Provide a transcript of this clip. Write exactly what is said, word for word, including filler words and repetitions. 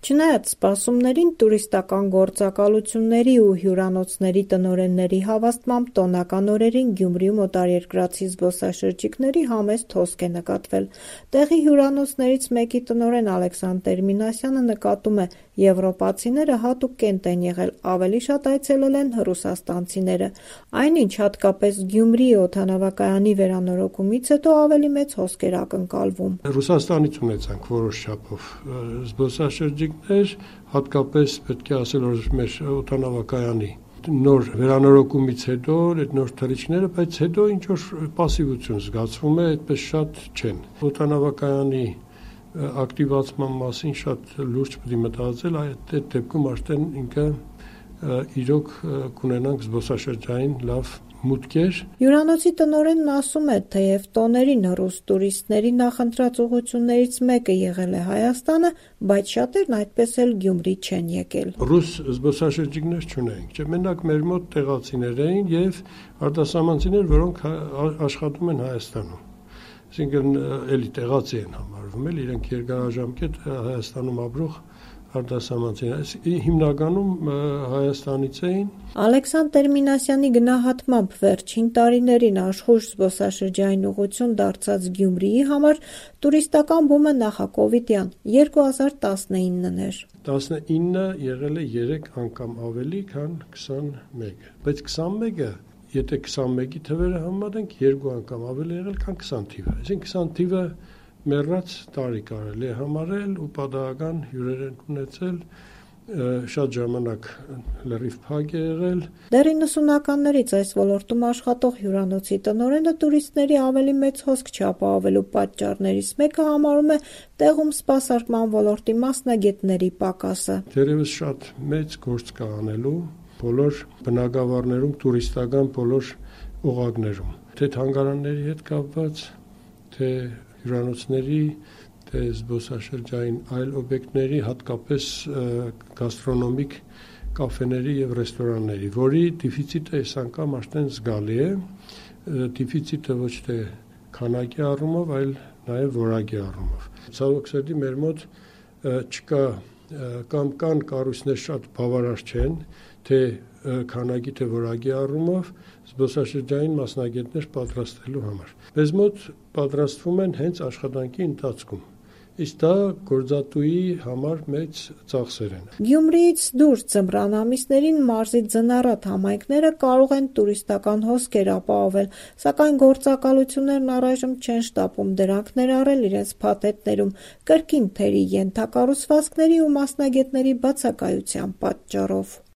Չնայած սպասումներին, տուրիստական գործակալությունների ու հյուրանոցների տնօրենների հավաստմամբ տոնական օրերին Գյումրիում օտարերկրացի զբոսաշրջիկների համեստ հոսք է նկատվել։ Տեղի հյուրանոցներից մեկի տնօրեն Ալեքսանդր Մինասյանը նկատում է, եվրոպացիները հատուկ կենտ են եղել, ավելի շատ այցելել են ռուսաստանցիները։ Այնինչ, հատկապես Գյումրիի օդանավակայանի վերանորոգումից հետո ավելի մեծ հոսք էր ակնկալվում։ Ռուսաստանից ունեցանք որոշ չափով զբոսաշրջիկներ, հատկապես պետք է ասել, որ մեր օդանավակայանի նոր վերանորոգումից հետո այդ նոր թռիչքները, բայց հետո ինչ որ պասիվություն զգացվում է, այդպես շատ չեն։ Օդանավակայանի ակտիվացման մասին շատ լուրջ պետք է մտածել, այդ դեպքում արդեն ինքը իրոք կունենանք զբոսաշրջային լավ մուտքեր։ Հյուրանոցի տնօրենն ասում է, թեև տոներին ռուս տուրիստների նախընտրած ուղղություններից մեկը եղել է Հայաստանը, բայց շատերն այդպես էլ Գյումրի չեն եկել։ Ռուս զբոսաշրջիկներ չունենք, չէ, մենակ մեր մոտ տեղացիներ էին եւ արտասահմանցիներ, որոնք աշխատում են Հայաստանում։ Այսինքն էլի տեղացի են համարվում, էլ իրենք երկարաժամկետ Հայաստանում ապրող արտասահմանցիներ, հիմնականում Հայաստանից էին։ Ալեքսանդր Մինասյանի գնահատմամբ վերջին տարիներին աշխույժ զբոսաշրջային ուղղություն դարձած Գյումրիի համար տուրիստական բումը նախակովիդյան երկու հազար տասնինն էր։ տասնինը եղել է երեք անգամ ավելի, քան քսանմեկը, բայց քսանմեկը եթե քսանմեկի թվերը համեմատենք, երկու անգամ ավելի եղել, քան քսան թիվը։ Այսինքն քսան թիվը մեռած տարի կարելի է համարել ու պատահական հյուրեր են ունեցել, շատ ժամանակ լրիվ փակ է եղել։ Դեռ իննսունականներից այս ոլորտում աշխատող հյուրանոցի տնօրենը տուրիստների ավելի մեծ հոսք չապահովելու պատճառներից մեկը համարում է տեղում սպասարկման ոլորտի մասնագետների պակասը։ Դեռևս շատ մեծ գործ կա անելու բոլոր բնակավարներում, տուրիստական բոլոր օղակներում, թե թանգարանների հետ կապված, թե հյուրանոցների, թե զբոսաշրջային այլ օբյեկտների, հատկապես գաստրոնոմիկ կաֆեների եւ ռեստորանների, որի դեֆիցիտը այս անգամ արդեն զգալի է, դեֆիցիտը ոչ թե քանակի առումով, այլ նաեւ որակի առումով։ Ցավոք սրտի մեր մոտ չկա կամ կան կառույցներ շատ բավարար չեն, թե քանակի թե որակի առումով զբոսաշրջային մասնագետներ պատրաստելու համար։ Մեզ մոտ պատրաստվում են հենց աշխատանքի ընթացքում։ Իսկ դա գործատուի համար մեծ ծախսեր են։ Գյումրիից դուրս ձմռան ամիսներին մարզի ձնառատ համայնքները կարող են տուրիստական հոսքեր ապահովել, սակայն գործակալություններն առայժմ չեն շտապում դրանք ներառել իրենց փաթեթներում կրկին թերի ենթակառուցվածքների ու մասնագետների բացակայության պատճառով։